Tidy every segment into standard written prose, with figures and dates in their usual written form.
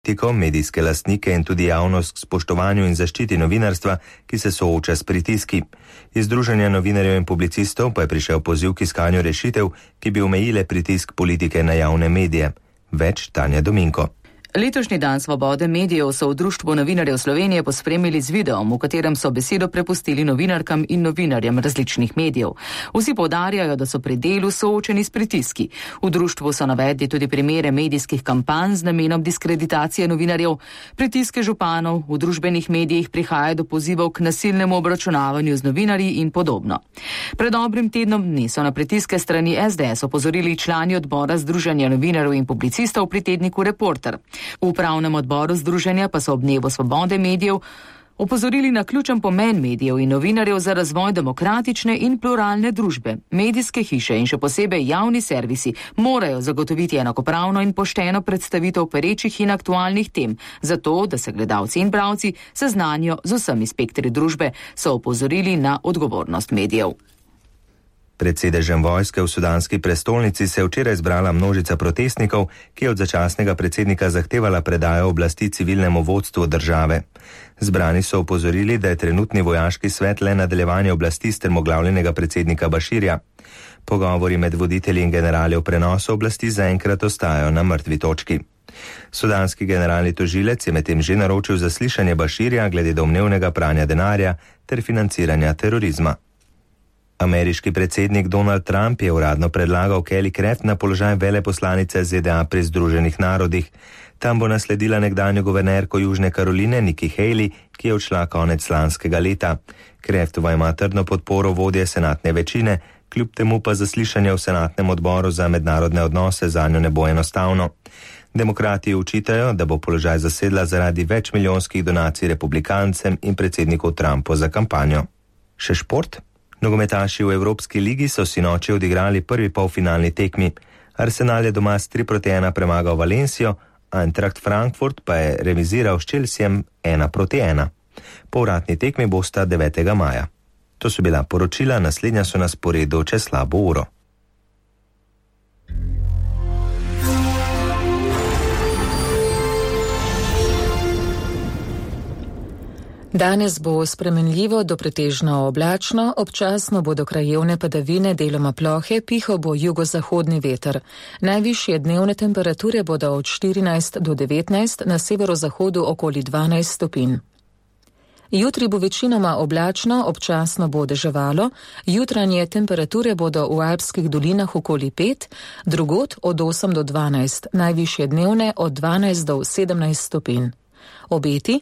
politiko, medijske lastnike in tudi javnost k spoštovanju in zaščiti novinarstva, ki se sooča s pritiski. Iz Združenja novinarjev in publicistov pa je prišel poziv k iskanju rešitev, ki bi omejile pritisk politike na javne medije. Več Tanja Dominko. Letošnji dan svobode medijev so v Društvu novinarjev Slovenije pospremili z videom, v katerem so besedo prepustili novinarkam in novinarjem različnih medijev. Vsi poudarjajo, da so pri delu soočeni s pritiski. V društvu so navedli tudi primere medijskih kampanj z namenom diskreditacije novinarjev, pritiske županov, v družbenih medijih prihaja do pozivov k nasilnemu obračunavanju z novinarji in podobno. Pred dobrim tednom dni so na pritiske strani SDS opozorili člani odbora Združenja novinarjev in publicistov pri tedniku Reporter. V upravnem odboru združenja pa so ob dnevu svobode medijev opozorili na ključen pomen medijev in novinarjev za razvoj demokratične in pluralne družbe. Medijske hiše in še posebej javni servisi morajo zagotoviti enakopravno in pošteno predstavitev perečih in aktualnih tem, zato da se gledalci in bralci seznanijo z vsemi spektri družbe, so opozorili na odgovornost medijev. Pred sedežem vojske v sudanski prestolnici se je včeraj zbrala množica protestnikov, ki je od začasnega predsednika zahtevala predajo oblasti civilnemu vodstvu države. Zbrani so opozorili, da je trenutni vojaški svet le nadaljevanje oblasti strmoglavljenega predsednika Baširja. Pogovori med voditelji in generali o prenosu oblasti zaenkrat ostajajo na mrtvi točki. Sudanski generalni tožilec je medtem že naročil zaslišanje Baširja glede domnevnega pranja denarja ter financiranja terorizma. Ameriški predsednik Donald Trump je uradno predlagal Kelly Craft na položaj veleposlanice ZDA pri Združenih narodih. Tam bo nasledila nekdanjo guvernerko Južne Karoline Nikki Haley, ki je odšla konec lanskega leta. Craftova ima trdno podporo vodje senatne večine, kljub temu pa zaslišanje v senatnem odboru za mednarodne odnose zanjo ne bo enostavno. Demokrati učitajo, da bo položaj zasedla zaradi večmilijonskih donacij republikancem in predsedniku Trumpu za kampanjo. Še šport? Nogometaši v Evropski ligi so sinoči odigrali prvi polfinalni tekmi. Arsenal je doma s 3-1 premagal Valencijo, Eintracht Frankfurt pa je remiziral s Chelseajem 1-1. Povratni tekmi bosta 9. maja. To so bila poročila, naslednja so na sporedu čez slabo uro. Danes bo spremenljivo do pretežno oblačno, občasno bodo krajevne padavine, deloma plohe, pihal bo jugozahodni veter. Najvišje dnevne temperature bodo od 14 do 19, na severozahodu okoli 12 stopinj. Jutri bo večinoma oblačno, občasno bo deževalo, jutranje temperature bodo v alpskih dolinah okoli 5, drugod od 8 do 12, najvišje dnevne od 12 do 17 stopinj. Obeti?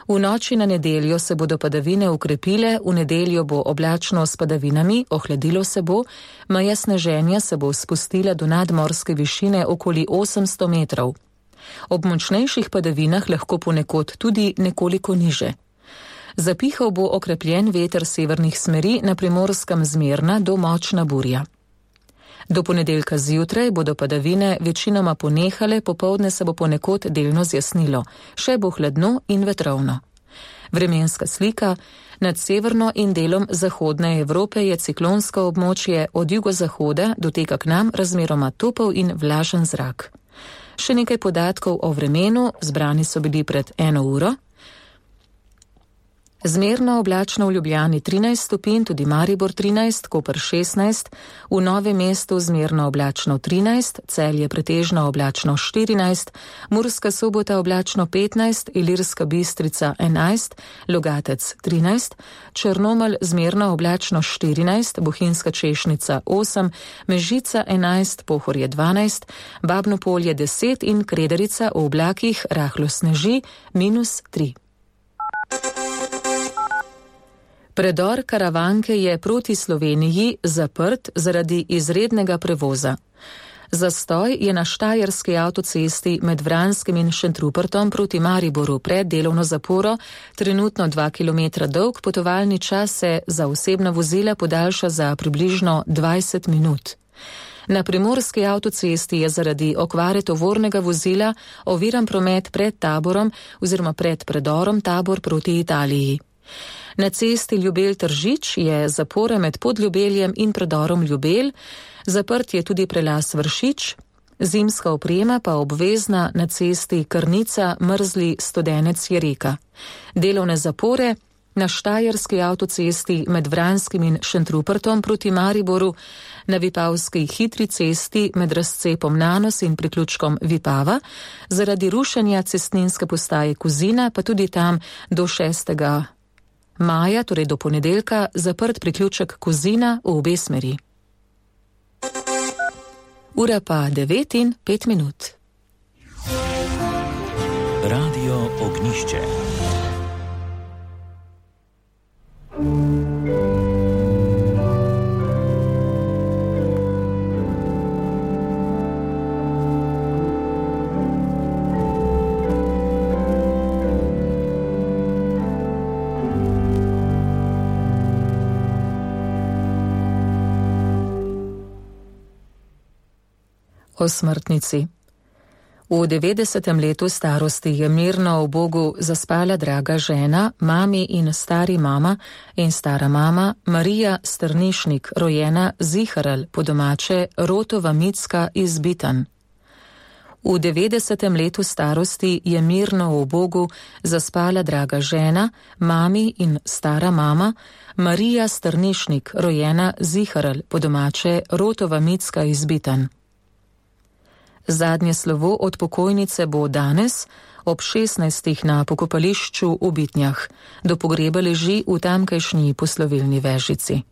V noči na nedeljo se bodo padavine ukrepile, v nedeljo bo oblačno s padavinami, ohladilo se bo, meja sneženja se bo spustila do nadmorske višine okoli 800 metrov. Ob močnejših padavinah lahko ponekod tudi nekoliko niže. Zapihal bo okrepljen veter severnih smeri, na Primorskem zmerna do močna burja. Do ponedeljka zjutraj bodo padavine večinoma ponehale, popoldne se bo ponekod delno zjasnilo, še bo hladno in vetrovno. Vremenska slika: nad severno in delom zahodne Evrope je ciklonsko območje, od jugozahoda doteka k nam razmeroma topel in vlažen zrak. Še nekaj podatkov o vremenu, zbrani so bili pred 1 uro. Zmerno oblačno v Ljubljani 13 stopinj, tudi Maribor 13, Koper 16, v Novem mestu zmerno oblačno 13, Celje pretežno oblačno 14, Murska Sobota oblačno 15, Ilirska Bistrica 11, Logatec 13, Črnomelj zmerno oblačno 14, Bohinjska Češnica 8, Mežica 11, Pohorje 12, Babno Polje 10 in Krederica v oblakih rahlo sneži -3. Predor Karavanke je proti Sloveniji zaprt zaradi izrednega prevoza. Zastoj je na štajerski avtocesti med Vranskim in Šentrupertom proti Mariboru pred delovno zaporo, trenutno 2 km dolg, potovalni čas se za osebna vozila podaljša za približno 20 minut. Na primorski avtocesti je zaradi okvare tovornega vozila oviran promet pred Taborom oziroma pred predorom Tabor proti Italiji. Na cesti Ljubelj-Tržič je zapora med Podljubeljem in predorom Ljubelj, zaprt je tudi prelaz Vršič, Zimska oprema pa obvezna na cesti Krnica-Mrzli-Studenec-Jereka. Delovne zapore na Štajerski avtocesti med Vranskim in Šentrupertom proti Mariboru, na Vipavski hitri cesti med razcepom Nanos in priključkom Vipava, zaradi rušenja cestninske postaje Kozina, pa tudi tam do 6. maja, torej do ponedeljka, zaprt priključek Kozina v obe smeri. Ura pa 9:05. Radio Ognišče. O smrtnici. V 90. letu starosti je mirno v Bogu zaspala draga žena, mami in stari mama in stara mama Marija Strnišnik, rojena Ziharel, po domače Rotova Micka iz Bitan. V 90. letu starosti je mirno v Bogu zaspala draga žena, mami in stara mama Marija Strnišnik, rojena Ziharel, po domače Rotova Micka iz Bitan. Zadnje slovo od pokojnice bo danes ob 16. na pokopališču v Bitnjah. Do pogreba leži v tamkajšnji poslovilni vežici.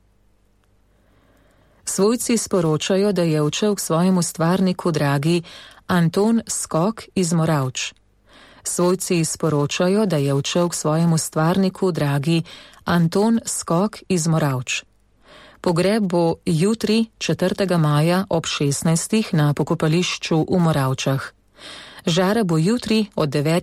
Svojci sporočajo, da je odšel k svojemu stvarniku dragi Anton Skok iz Moravč. Svojci sporočajo, da je odšel k svojemu stvarniku dragi Anton Skok iz Moravč. Pogreb bo jutri, 4. maja ob 16. na pokopališču v Moravčah. Žara bo jutri od 9.